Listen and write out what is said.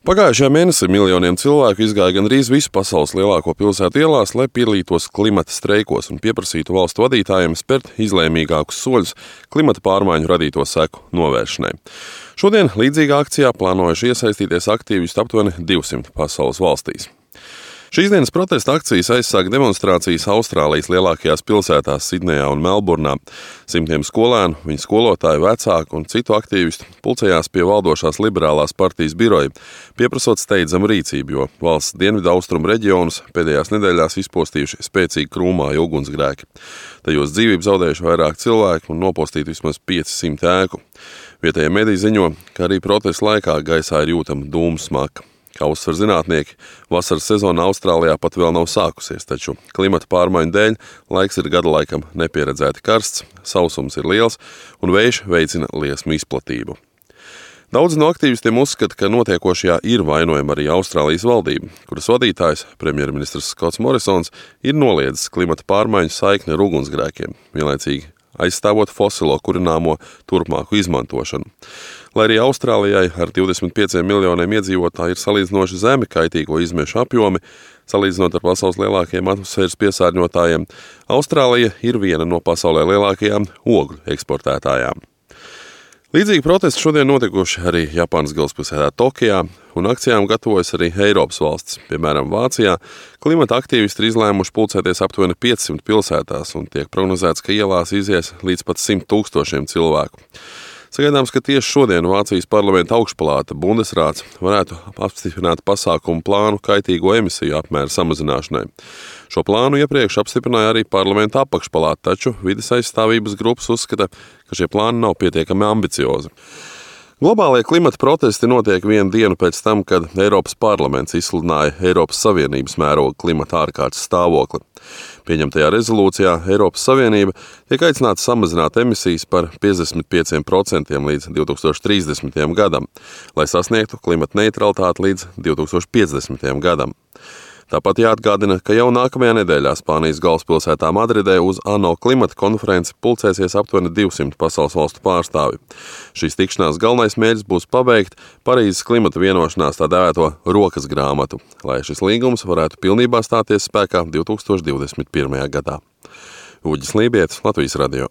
Pagājušajā mēnesī miljoniem cilvēku izgāja gandrīz visu pasaules lielāko pilsētu ielās, lai piedalītos klimata streikos un pieprasītu valstu vadītājiem spērt izlēmīgākus soļus klimata pārmaiņu radīto seku novēršanai. Šodien līdzīgā akcijā plānojuši iesaistīties aktīvisti aptuveni 200 pasaules valstīs. Šīs dienas protesta akcijas aizsāka demonstrācijas Austrālijas lielākajās pilsētās Sidnejā un Melburnā. Simtiem skolēnu, viņu skolotāju, vecāku un citu aktīvistu pulcējās pie valdošās liberālās partijas biroja, pieprasot steidzamu rīcību, jo valsts dienvidu austrumu reģionus pēdējās nedēļās izpostījuši spēcīgi krūmāji ugunsgrēki. Tajos dzīvību zaudējuši vairāk cilvēku un nopostīti vismaz 500 ēku. Vietējie mediji ziņo, ka arī protesta laikā gaisā ir jūtama dūmu smaka. Kā uzsver zinātnieki, vasaras sezona Austrālijā pat vēl nav sākusies, taču klimata pārmaiņu dēļ laiks ir gada laikam nepieredzēti karsts, sausums ir liels un vējš veicina liesmu izplatību. Daudzi no aktīvistiem uzskata, ka notiekošajā ir vainojama arī Austrālijas valdība, kuras vadītājs, premjerministrs Skots Morisons, ir noliedzis klimata pārmaiņu saikni ar ugunsgrēkiem, vienlaicīgi aizstāvot fosilo kurināmo turpmāku izmantošanu. Lai arī Austrālijai ar 25 miljoniem iedzīvotāju ir salīdzinoši zemi kaitīgo izmešu apjomi, salīdzinot ar pasaules lielākajiem atmosfēras piesārņotājiem, Austrālija ir viena no pasaulē lielākajām ogļu eksportētājām. Līdzīgi protesti šodien notikuši arī Japānas galvaspilsētā Tokijā, un akcijām gatavojas arī Eiropas valstis. Piemēram, Vācijā klimata aktīvisti ir izlēmuši pulcēties aptuveni 500 pilsētās, un tiek prognozēts, ka ielās izies līdz pat 100 000 cilvēku. Sagaidāms, ka tieši šodien Vācijas parlamenta augšpalāta Bundesrāts varētu apstiprināt pasākumu plānu kaitīgo emisiju apmēra samazināšanai. Šo plānu iepriekš apstiprināja arī parlamenta apakšpalāta, taču vides aizstāvības grupas uzskata, ka šie plāni nav pietiekami ambiciozi. Globālie klimata protesti notiek vienu dienu pēc tam, kad Eiropas parlaments izsludināja Eiropas Savienības mēroga klimata ārkārtas stāvokli. Pieņemtajā rezolūcijā Eiropas Savienība tiek aicināta samazināt emisijas par 55% līdz 2030. gadam, lai sasniegtu klimata neutralitāti līdz 2050. gadam. Tāpat jāatgādina, ka jau nākamajā nedēļā Spānijas galvaspilsētā Madridē uz ANO klimata konferenci pulcēsies aptuveni 200 pasaules valstu pārstāvi. Šīs tikšanās galvenais mērķis būs pabeigt Parīzes klimata vienošanās tā dēvēto rokas grāmatu, lai šis līgums varētu pilnībā stāties spēkā 2021. gadā. Uģis Lībietis, Latvijas radio.